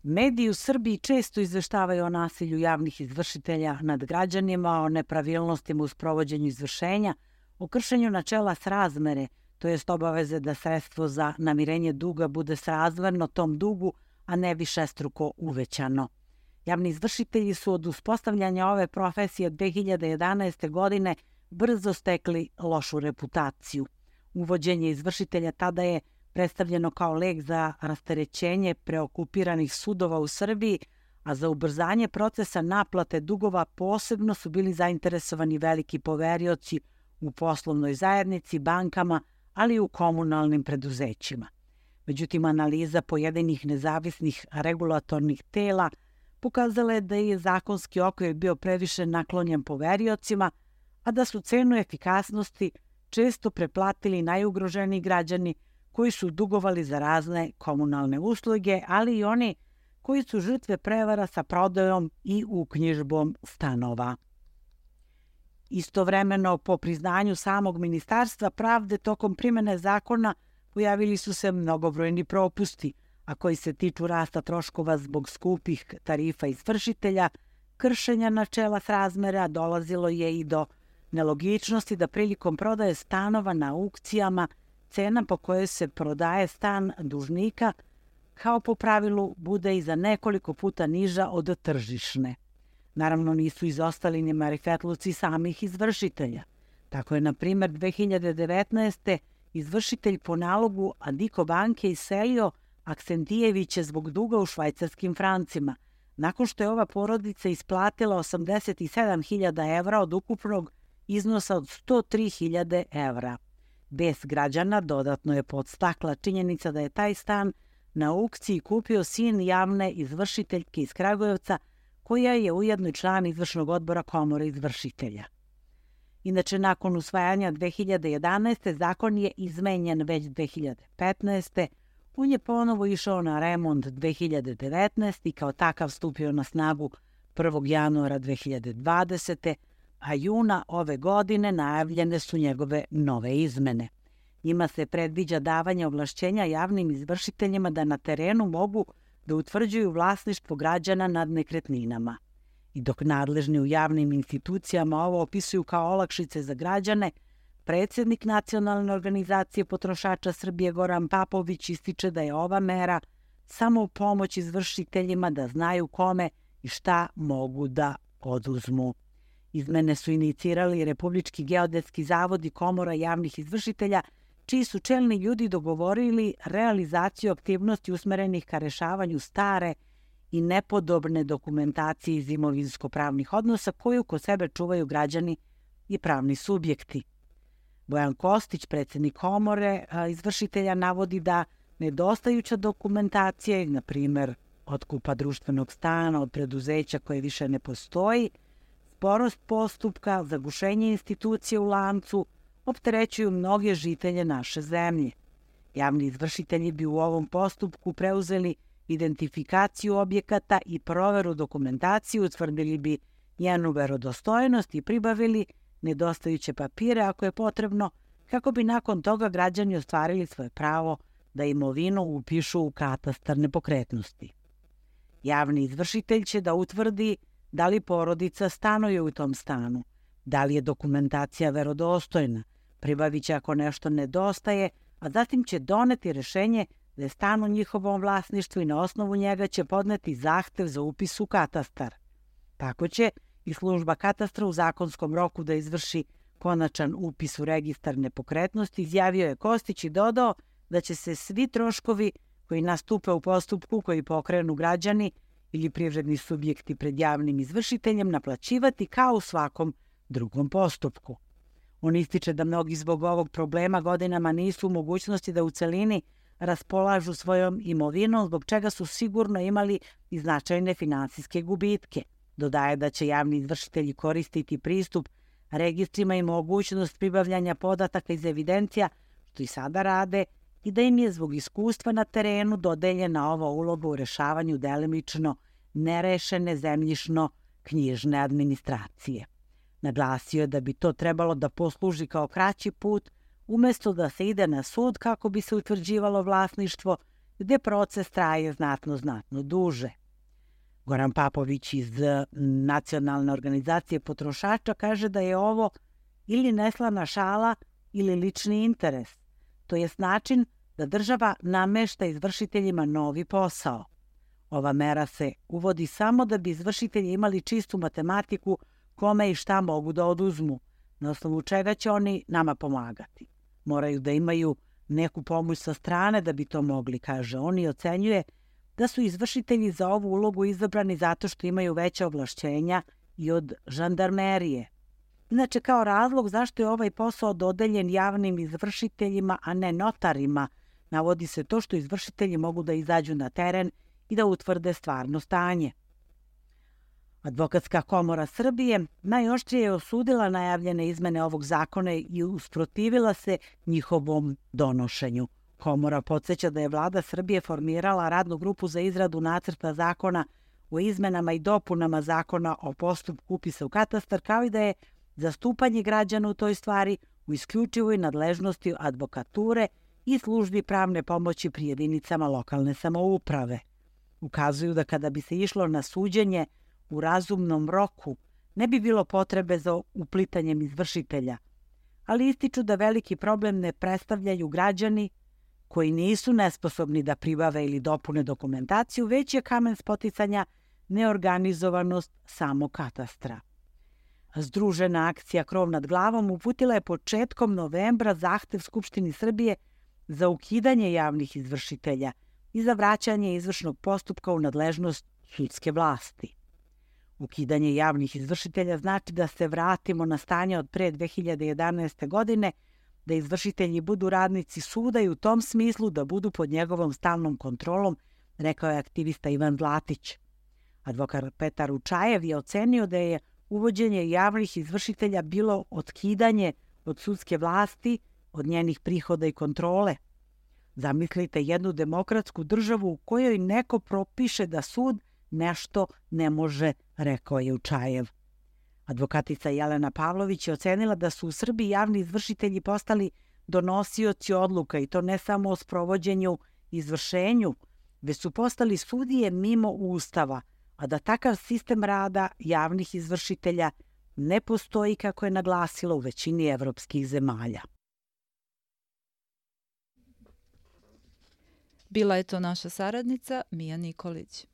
J: Mediji u Srbiji često izveštavaju o nasilju javnih izvršitelja nad građanima, o nepravilnostima u sprovođenju izvršenja, o kršenju načela srazmere, to jest obaveze da sredstvo za namirenje duga bude srazmerno tom dugu, a ne višestruko uvećano. Javni izvršitelji su od uspostavljanja ove profesije dve hiljade jedanaeste. godine brzo stekli lošu reputaciju. Uvođenje izvršitelja tada je predstavljeno kao lek za rasterećenje preokupiranih sudova u Srbiji, a za ubrzanje procesa naplate dugova posebno su bili zainteresovani veliki poverioci u poslovnoj zajednici, bankama, ali i u komunalnim preduzećima. Međutim, analiza pojedinih nezavisnih regulatornih tela pokazala je da je zakonski okvir bio previše naklonjen poveriocima, a da su cenu efikasnosti često preplatili najugroženiji građani koji su dugovali za razne komunalne usluge, ali i oni koji su žrtve prevara sa prodajom i uknjižbom stanova. Istovremeno, po priznanju samog Ministarstva pravde, tokom primene zakona pojavili su se mnogobrojni propusti, a koji se tiču rasta troškova zbog skupih tarifa izvršitelja, kršenja načela srazmera, dolazilo je i do nelogičnosti da prilikom prodaje stanova na aukcijama cena po kojoj se prodaje stan dužnika, kao po pravilu, bude i za nekoliko puta niža od tržišne. Naravno, nisu izostali ni marifetluci samih izvršitelja. Tako je, na primjer, dve hiljade devetnaeste. izvršitelj po nalogu Adiko banke iselio Aksentijeviće zbog duga u švajcarskim francima, nakon što je ova porodica isplatila osamdeset sedam hiljada evra od ukupnog iznosa od sto tri hiljade evra. Bes građana dodatno je podstakla činjenica da je taj stan na aukciji kupio sin javne izvršiteljke iz Kragujevca, koja je ujedno i član izvršnog odbora Komore izvršitelja. Inače, nakon usvajanja dve hiljade jedanaeste. zakon je izmenjen već dve hiljade petnaeste. On je ponovo išao na remont dve hiljade devetnaeste. i kao takav stupio na snagu prvog januara dve hiljade dvadesete. a juna ove godine najavljene su njegove nove izmene. Njima se predviđa davanje ovlašćenja javnim izvršiteljima da na terenu mogu da utvrđuju vlasništvo građana nad nekretninama. I dok nadležni u javnim institucijama ovo opisuju kao olakšice za građane, predsjednik Nacionalne organizacije potrošača Srbije Goran Papović ističe da je ova mera samo u pomoć izvršiteljima da znaju kome i šta mogu da oduzmu. Izmene su inicirali Republički geodetski zavod i Komora javnih izvršitelja, čiji su čelni ljudi dogovorili realizaciju aktivnosti usmerenih ka rešavanju stare i nepodobne dokumentacije iz imovinsko-pravnih odnosa koju kod sebe čuvaju građani i pravni subjekti. Bojan Kostić, predsjednik Komore izvršitelja, navodi da nedostajuća dokumentacija, na primjer otkupa društvenog stana od preduzeća koje više ne postoji, sporost postupka, zagušenje institucije u lancu, opterećuju mnoge žitelje naše zemlje. Javni izvršitelji bi u ovom postupku preuzeli identifikaciju objekata i proveru dokumentacije, utvrdili bi njenu verodostojnost i pribavili nedostajuće papire ako je potrebno, kako bi nakon toga građani ostvarili svoje pravo da imovinu upišu u katastar nepokretnosti. Javni izvršitelj će da utvrdi da li porodica stanuje u tom stanu, da li je dokumentacija verodostojna, pribavit će ako nešto nedostaje, a zatim će doneti rešenje da je stan u njihovom vlasništvu i na osnovu njega će podneti zahtev za upis u katastar. Tako će i služba katastra u zakonskom roku da izvrši konačan upis u registar nepokretnosti, izjavio je Kostić i dodao da će se svi troškovi koji nastupe u postupku koji pokrenu građani ili privredni subjekti pred javnim izvršiteljem naplaćivati kao u svakom drugom postupku. On ističe da mnogi zbog ovog problema godinama nisu u mogućnosti da u celini raspolažu svojom imovinom, zbog čega su sigurno imali i značajne finansijske gubitke. Dodaje da će javni izvršitelji koristiti pristup registrima i mogućnost pribavljanja podataka iz evidencija, što i sada rade, i da im je zbog iskustva na terenu dodeljena ova uloga u rešavanju delimično nerešene zemljišno-knjižne administracije. Naglasio je da bi to trebalo da posluži kao kraći put, umesto da se ide na sud kako bi se utvrđivalo vlasništvo, gde proces traje znatno, znatno duže. Goran Papović iz Nacionalne organizacije potrošača kaže da je ovo ili neslana šala ili lični interes, to jest način da država namešta izvršiteljima novi posao. Ova mera se uvodi samo da bi izvršitelji imali čistu matematiku kome i šta mogu da oduzmu, na osnovu čega će oni nama pomagati. Moraju da imaju neku pomoć sa strane da bi to mogli, kaže on, i ocenjuje da su izvršitelji za ovu ulogu izabrani zato što imaju veća ovlašćenja i od žandarmerije. Inače, kao razlog zašto je ovaj posao dodeljen javnim izvršiteljima, a ne notarima, navodi se to što izvršitelji mogu da izađu na teren i da utvrde stvarno stanje. Advokatska komora Srbije najoštrije je osudila najavljene izmene ovog zakona i usprotivila se njihovom donošenju. Komora podsjeća da je vlada Srbije formirala radnu grupu za izradu nacrta zakona o izmenama i dopunama zakona o postupku upisa u katastar, kao i da je zastupanje građana u toj stvari u isključivoj nadležnosti advokature i službi pravne pomoći pri jedinicama lokalne samouprave. Ukazuju da kada bi se išlo na suđenje u razumnom roku, ne bi bilo potrebe za uplitanjem izvršitelja, ali ističu da veliki problem ne predstavljaju građani koji nisu nesposobni da pribave ili dopune dokumentaciju, već je kamen spoticanja neorganizovanost samog katastra. Združena akcija Krov nad glavom uputila je početkom novembra zahtev Skupštini Srbije za ukidanje javnih izvršitelja i za vraćanje izvršnog postupka u nadležnost sudske vlasti. Ukidanje javnih izvršitelja znači da se vratimo na stanje od pre dve hiljade jedanaeste. godine, da izvršitelji budu radnici suda i u tom smislu da budu pod njegovom stalnom kontrolom, rekao je aktivista Ivan Zlatić. Advokat Petar Učajev je ocenio da je uvođenje javnih izvršitelja bilo otkidanje od sudske vlasti, od njenih prihoda i kontrole. Zamislite jednu demokratsku državu u kojoj neko propiše da sud nešto ne može, rekao je Učajev. Advokatica Jelena Pavlović je ocenila da su u Srbiji javni izvršitelji postali donosioci odluka i to ne samo o sprovođenju i izvršenju, već su postali sudije mimo Ustava, a da takav sistem rada javnih izvršitelja ne postoji, kako je naglasila, u većini evropskih zemalja.
C: Bila je to naša saradnica Mija Nikolić.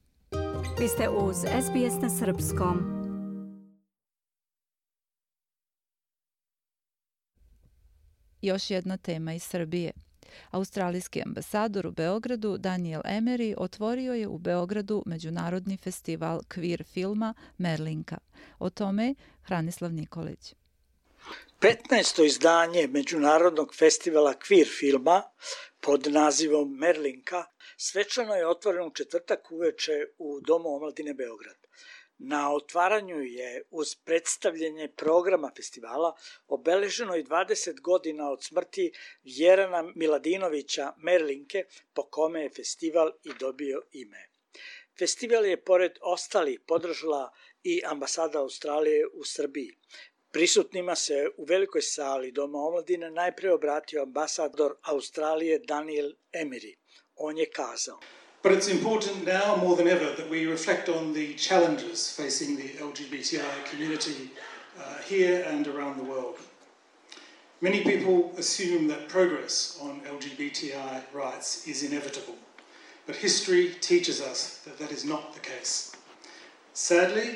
A: Vi ste uz S B S na srpskom.
C: Još jedna tema iz Srbije. Australijski ambasador u Beogradu Daniel Emery otvorio je u Beogradu Međunarodni festival queer filma Merlinka. O tome Hranislav Nikolić.
K: petnaesto izdanje Međunarodnog festivala queer filma pod nazivom Merlinka svečano je otvoreno u četvrtak uveče u Domu omladine Beograd. Na otvaranju je uz predstavljanje programa festivala obeleženo i dvadeset godina od smrti Vjerana Miladinovića Merlinke, po kome je festival i dobio ime. Festival je pored ostalih podržala i ambasada Australije u Srbiji. Prisutnima se u velikoj sali Doma omladine najpre obratio ambasador Australije Daniel Emery. On je kazao:
L: But it's important now more than ever that we reflect on the challenges facing the L G B T I community uh, here and around the world. Many people assume that progress on L G B T I rights is inevitable, but history teaches us that that is not the case. Sadly,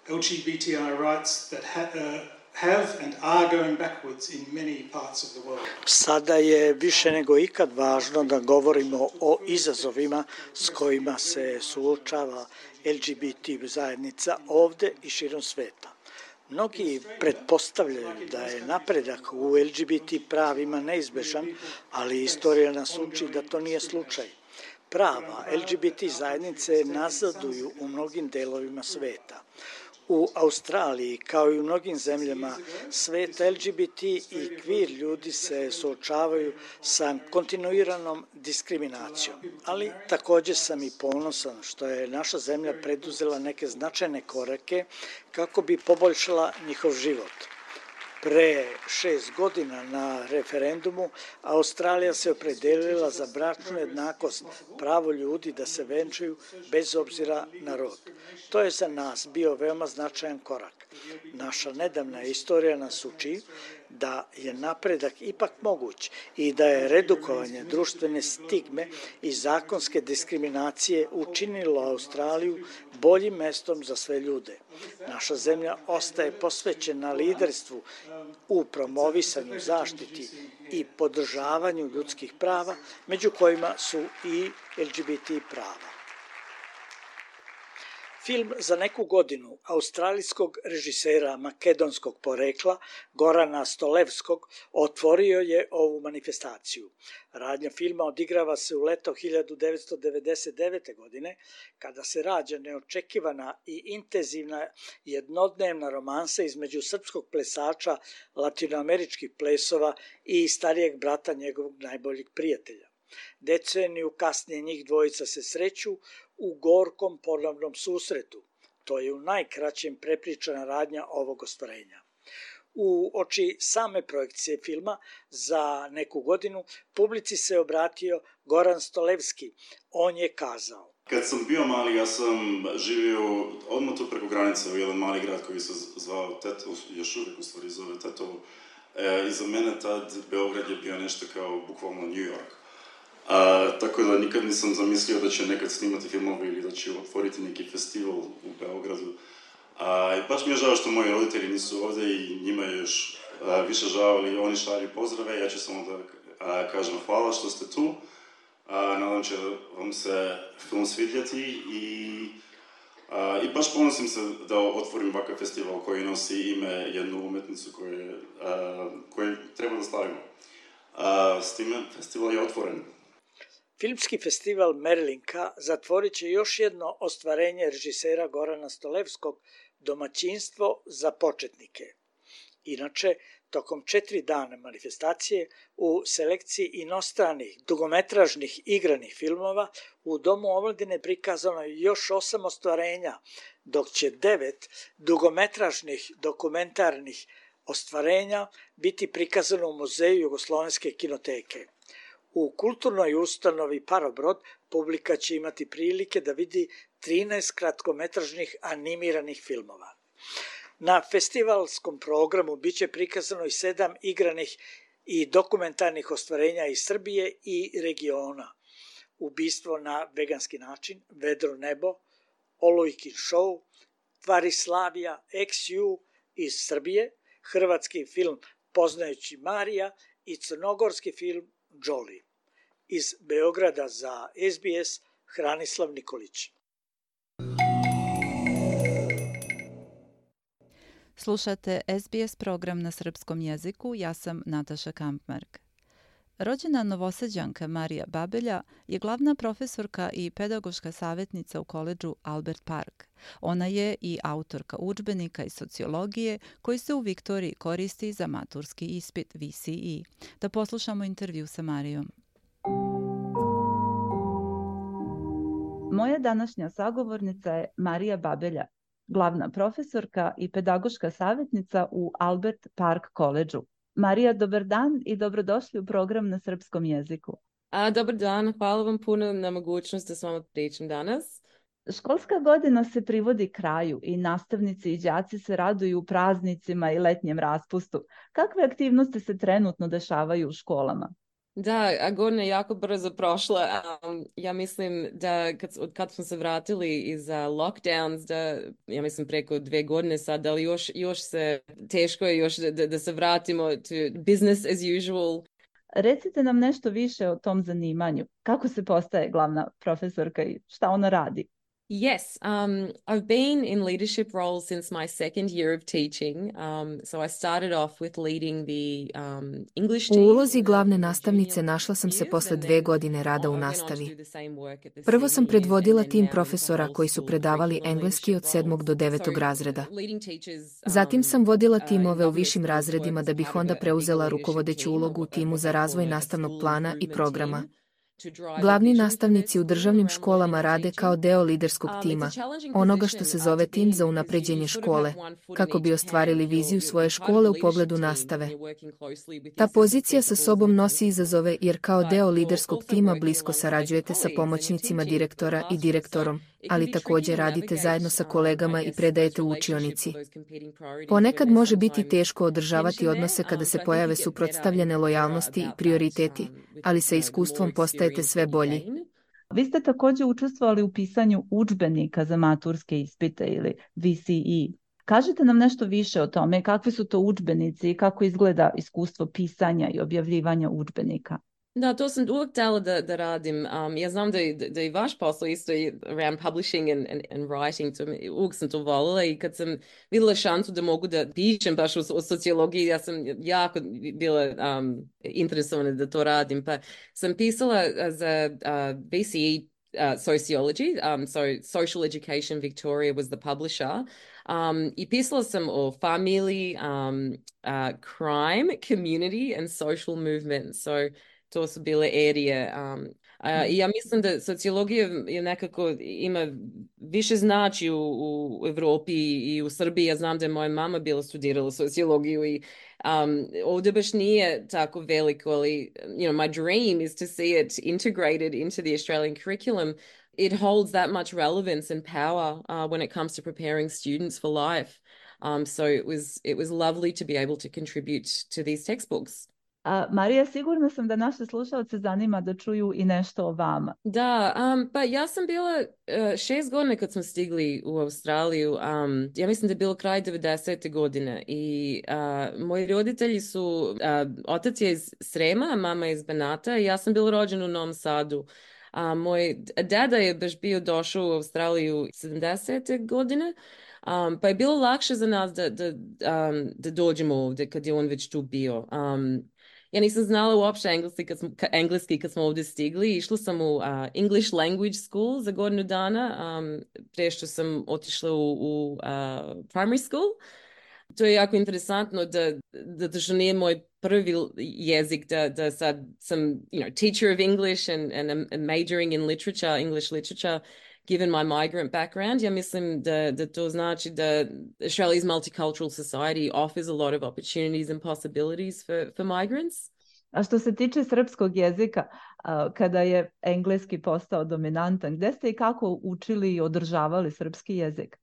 L: L G B T I rights that ha- uh, have and are going backwards in many parts of the world.
K: Sada je više nego ikad važno da govorimo o izazovima s kojima se suočava L G B T zajednica ovde i širom sveta. Mnogi pretpostavljaju da je napredak u L G B T pravima neizbežan, ali istorija nas uči da to nije slučaj. Prava L G B T zajednice nazaduju u mnogim delovima sveta. U Australiji, kao i u mnogim zemljama sveta, L G B T i queer ljudi se suočavaju sa kontinuiranom diskriminacijom. Ali također sam i ponosan što je naša zemlja preduzela neke značajne korake kako bi poboljšala njihov život. Pre šest godina na referendumu Australija se opredelila za bračnu jednakost, pravo ljudi da se venčaju bez obzira na rod. To je za nas bio veoma značajan korak. Naša nedavna istorija nas uči da je napredak ipak moguć i da je redukovanje društvene stigme i zakonske diskriminacije učinilo Australiju boljim mestom za sve ljude. Naša zemlja ostaje posvećena liderstvu u promovisanju, zaštiti i podržavanju ljudskih prava, među kojima su i L G B T prava. Film Za neku godinu australijskog režisera makedonskog porekla Gorana Stolevskog otvorio je ovu manifestaciju. Radnja filma odigrava se u leto hiljadu devetsto devedeset devete. godine, kada se rađa neočekivana i intenzivna jednodnevna romansa između srpskog plesača latinoameričkih plesova i starijeg brata njegovog najboljeg prijatelja. Deceniju kasnije njih dvojica se sreću u gorkom ponovnom susretu. To je u najkraćem prepričana radnja ovog ostvarenja. U oči same projekcije filma Za neku godinu publici se obratio Goran Stolevski. On je kazao:
M: Kad sam bio mali, ja sam živio odmah tu preko granice u jedan mali grad koji se zvao Tetovo, još uvijek u stvari zove Tetovo. E, I za mene tad Beograd je bio nešto kao bukvalno New York. A, tako da nikad nisam zamislio da će nekad snimati filmove ili da će otvoriti neki festival u Beogradu. A, i baš mi je žao što moji roditelji nisu ovdje i njima je još a, više žao, ali oni šalju pozdrave. Ja ću samo da a, kažem hvala što ste tu. A, nadam će vam se film svidjeti i, a, i baš ponosim se da otvorim ovakav festival koji nosi ime jednu umetnicu koje, a, koje treba da stavimo. A, s time festival je otvoren.
K: Filmski festival Merlinka zatvorit će još jedno ostvarenje režisera Gorana Stolevskog, Domaćinstvo za početnike. Inače, tokom četiri dana manifestacije u selekciji inostranih dugometražnih igranih filmova u Domu omladine prikazano je još osam ostvarenja, dok će devet dugometražnih dokumentarnih ostvarenja biti prikazano u Muzeju Jugoslovenske kinoteke. U kulturnoj ustanovi Parobrod publika će imati prilike da vidi trinaest kratkometražnih animiranih filmova. Na festivalskom programu biće prikazano i sedam igranih i dokumentarnih ostvarenja iz Srbije i regiona. Ubistvo na veganski način, Vedro nebo, Olujkin show, Tvarislavija X U iz Srbije, hrvatski film Poznajući Marija i crnogorski film Jolie. Iz Beograda za S B S, Hranislav Nikolić.
C: Slušate S B S program na srpskom jeziku, ja sam Nataša Kampmark. Rođena Novosađanka Marija Babelja je glavna profesorka i pedagoška savjetnica u koledžu Albert Park. Ona je i autorka udžbenika iz sociologije koji se u Viktoriji koristi za maturski ispit V C E. Da poslušamo intervju sa Marijom. Moja današnja sagovornica je Marija Babelja, glavna profesorka i pedagoška savjetnica u Albert Park koledžu. Marija, dobar dan i dobrodošli u program na srpskom jeziku.
N: A, dobar dan, hvala vam puno na mogućnost da s vama pričam danas.
C: Školska godina se privodi kraju i nastavnici i đaci se raduju praznicima i letnjem raspustu. Kakve aktivnosti se trenutno dešavaju u školama?
N: Da, a godina je jako brzo prošla. Um, ja mislim da kad, od kad smo se vratili iz uh, lockdowns, da, ja mislim preko dve godine sad, ali još, još se teško je još da, da se vratimo to business as usual.
C: Recite nam nešto više o tom zanimanju. Kako se postaje glavna profesorka i šta ona radi?
N: Yes, um, I've been in leadership roles since my second year of teaching. Um, so I started off with leading the um, English
O: U
N: team.
O: ulozi glavne nastavnice našla sam se posle dve godine rada u nastavi. Prvo sam predvodila tim profesora koji su predavali engleski od sedmog do devetog razreda. Zatim sam vodila timove u višim razredima da bih onda preuzela rukovodeću ulogu u timu za razvoj nastavnog plana i programa. Glavni nastavnici u državnim školama rade kao deo liderskog tima, onoga što se zove tim za unapređenje škole, kako bi ostvarili viziju svoje škole u pogledu nastave. Ta pozicija sa sobom nosi izazove jer kao deo liderskog tima blisko sarađujete sa pomoćnicima direktora i direktorom, ali također radite zajedno sa kolegama i predajete u učionici. Ponekad može biti teško održavati odnose kada se pojave suprotstavljene lojalnosti i prioriteti, ali sa iskustvom postajete sve bolji.
C: Vi ste također učestvovali u pisanju udžbenika za maturske ispite ili V C E. Kažite nam nešto više o tome, kakvi su to udžbenici i kako izgleda iskustvo pisanja i objavljivanja udžbenika.
N: Da, to sam uvijek htjela da, da radim. Um, ja znam da, da, da i vaš posao isto around publishing and, and, and writing, to, uvijek sam to volila i kad sam vidjela šansu da mogu da pišem baš u, u sociologiji, ja sam jako bila um, interesovana da to radim, pa sam pisala za uh, V C E uh, sociology, um, so Social Education Victoria was the publisher. Um, I pisala sam o family, um, uh, crime, community and social movement, so to su bile erije. Um, a, I ja mislim da sociologija je nekako ima više znači u, u Evropi i u Srbiji. Ja znam da je moja mama bila studirala sociologiju i um, ovdje baš nije tako veliko, ali you know, my dream is to see it integrated into the Australian curriculum. It holds that much relevance and power uh, when it comes to preparing students for life. Um, so it was, it was lovely to be able to contribute to these textbooks.
C: A, Marija, sigurna sam da naše slušalce zanima da čuju i nešto o vama.
N: Da, um, pa ja sam bila uh, šest godina kad smo stigli u Australiju. Um, ja mislim da je bilo kraj devedesete godine i uh, moji roditelji su, uh, otac je iz Srema, mama je iz Banata i ja sam bila rođena u Novom Sadu. A moj deda je baš bio došao u Australiju sedamdesete godine, um, pa je bilo lakše za nas da, da, um, da dođemo ovdje kad je on već tu bio. Um, ja nisam znala uopšte engleski kad smo, engleski kad smo ovdje stigli. Išla sam u uh, English Language School za godinu dana, um, prije što sam otišla u, u uh, primary school. To je jako interesantno da, da, da što nije moj prvi jezik, da, da sad sam, you know, teacher of English and, and I'm majoring in literature, English literature, given my migrant background. Ja mislim da, da to znači da Australia's multicultural society offers a lot of opportunities and possibilities for, for migrants.
C: A što se tiče srpskog jezika, kada je engleski postao dominantan, gde ste i kako učili i održavali srpski jezik?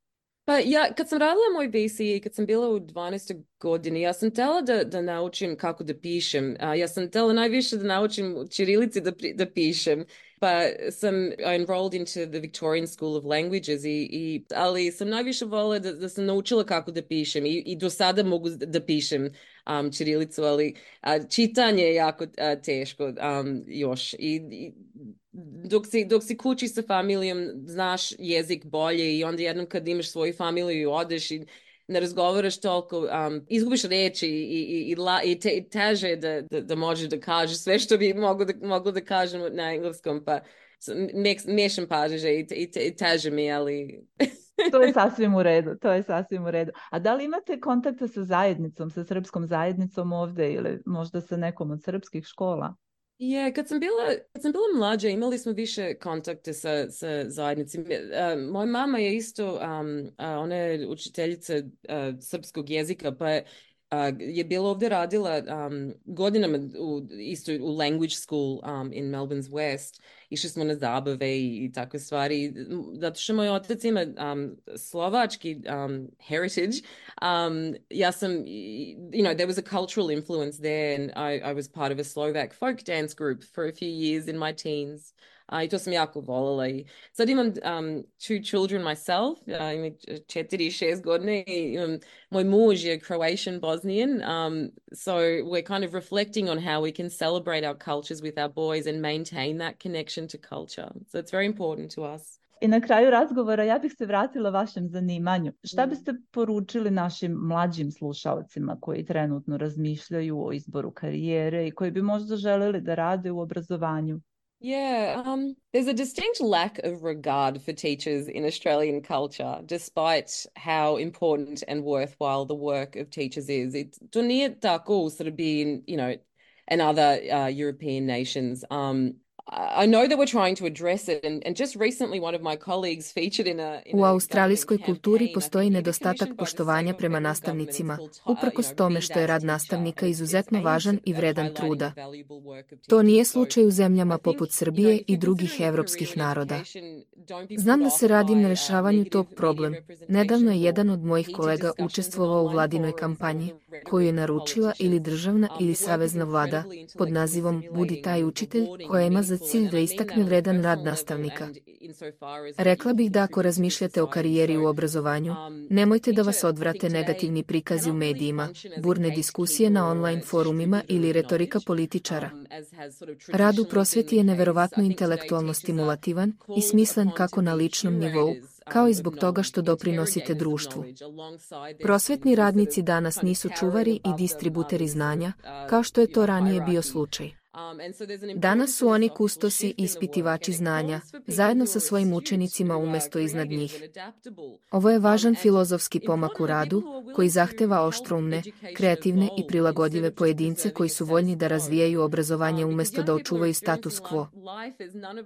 N: Pa ja, kad sam radila moj V C E, kad sam bila u dvanaestoj godini, ja sam htjela da, da naučim kako da pišem. A, ja sam htjela najviše da naučim u ćirilici da, da pišem. Pa sam enrolled into the Victorian School of Languages, i, i, ali sam najviše volila da, da sam naučila kako da pišem i, i do sada mogu da pišem um, ćirilicu, ali a, čitanje je jako a, teško um, još. I, i dok si, dok si kući sa familijom, znaš jezik bolje i onda jednom kad imaš svoju familiju i odeš i ne razgovaraš toliko, um, izgubiš reči i, i, i, la, i, te, i teže da, da, da možeš da kažeš sve što bi moglo da, moglo da kažem na engleskom, pa mešam pažnje i, i, i teže mi, ali...
C: To je sasvim u redu, to je sasvim u redu. A da li imate kontakta sa zajednicom, sa srpskom zajednicom ovdje ili možda sa nekom od srpskih škola?
N: Je, yeah, kad sam bila, kad sam bila mlađa, imali smo više kontakte sa, sa zajednicima. Uh, moja mama je isto, um, uh, ona je učiteljica uh, srpskog jezika, pa je, uh, je bila ovdje radila um, godinama u, isto u language school um, in Melbourne's West. Išli smo na zabave i, i takve stvari. Zato što moj otac ima um, slovački um, heritage. Um, ja sam, you know, there was a cultural influence there, and I, I was part of a Slovak folk dance group for a few years in my teens. Uh, I to sam jako voljela. I sad imam um, two children myself, uh, imam četiri i šest godine i imam, moj muž je Croatian Bosnian, um, so we're kind of reflecting on how we can celebrate our cultures with our boys and maintain that connection to culture. So it's very important to us.
C: I na kraju razgovora ja bih se vratila vašem zanimanju. Šta biste poručili našim mlađim slušalcima koji trenutno razmišljaju o izboru karijere i koji bi možda želeli da rade u obrazovanju?
N: Yeah, um, there's a distinct lack of regard for teachers in Australian culture, despite how important and worthwhile the work of teachers is. It, to nije tako u Srbiji, you know, and other uh, European nations. Um, I know that we're trying to address it, and, and just recently one of my colleagues featured in a... In
O: U australijskoj kulturi postoji nedostatak poštovanja prema nastavnicima, uprkos tome što je rad nastavnika izuzetno važan i vredan truda. To nije slučaj u zemljama poput Srbije i drugih evropskih naroda. Znam da se radim na rešavanju tog problem. Nedavno je jedan od mojih kolega učestvovao u vladinoj kampanji, koju je naručila ili državna ili savezna vlada pod nazivom Budi taj učitelj, koja ima za cilj da istakne vredan rad nastavnika. Rekla bih da ako razmišljate o karijeri u obrazovanju, nemojte da vas odvrate negativni prikazi u medijima, burne diskusije na online forumima ili retorika političara. Rad u prosveti je neverovatno intelektualno stimulativan i smislen kako na ličnom nivou, kao i zbog toga što doprinosite društvu. Prosvetni radnici danas nisu čuvari i distributeri znanja, kao što je to ranije bio slučaj. Danas su oni kustosi i ispitivači znanja, zajedno sa svojim učenicima umjesto iznad njih. Ovo je važan filozofski pomak u radu, koji zahteva oštroumne, kreativne i prilagodljive pojedince koji su voljni da razvijaju obrazovanje umjesto da očuvaju status quo.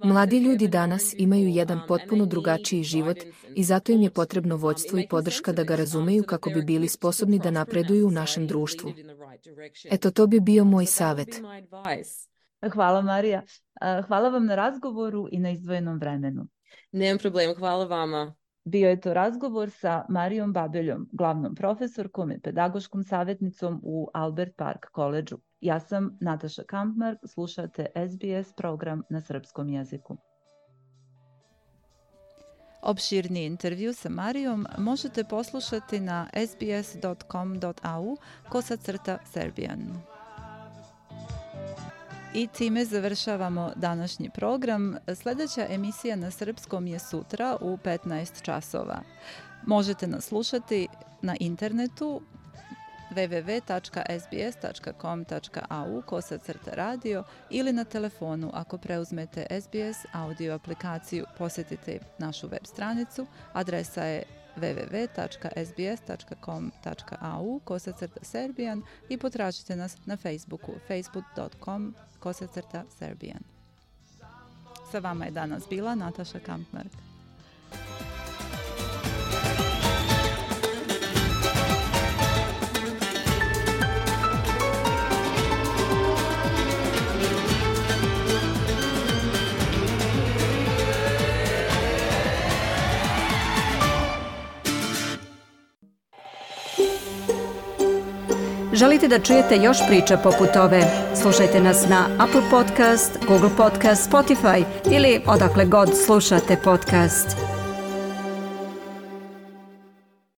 O: Mladi ljudi danas imaju jedan potpuno drugačiji život i zato im je potrebno vođstvo i podrška da ga razumeju kako bi bili sposobni da napreduju u našem društvu. Eto, to bi bio moj savjet.
C: Hvala, Marija. Hvala vam na razgovoru i na izdvojenom vremenu.
N: Nemam problema, hvala vama.
C: Bio je to razgovor sa Marijom Babeljom, glavnom profesorkom i pedagoškom savjetnicom u Albert Park Collegeu. Ja sam Nataša Kampmark, slušate S B S program na srpskom jeziku. Opširni intervju sa Marijom možete poslušati na sbs dot com dot a u kosacrta Serbian. I time završavamo današnji program. Sljedeća emisija na srpskom je sutra u petnaest časova. Možete nas slušati na internetu w w w tačka s b s tačka com tačka a u kosacrta radio ili na telefonu ako preuzmete S B S audio aplikaciju. Posjetite našu web stranicu. Adresa je w w w tačka s b s tačka com tačka a u kosacrta Serbian i potražite nas na Facebooku facebook dot com kosacrta Serbian. Sa vama je danas bila Nataša Kampmark.
A: Želite da čujete još priča poput ove? Slušajte nas na Apple Podcast, Google Podcast, Spotify ili odakle god slušate podcast.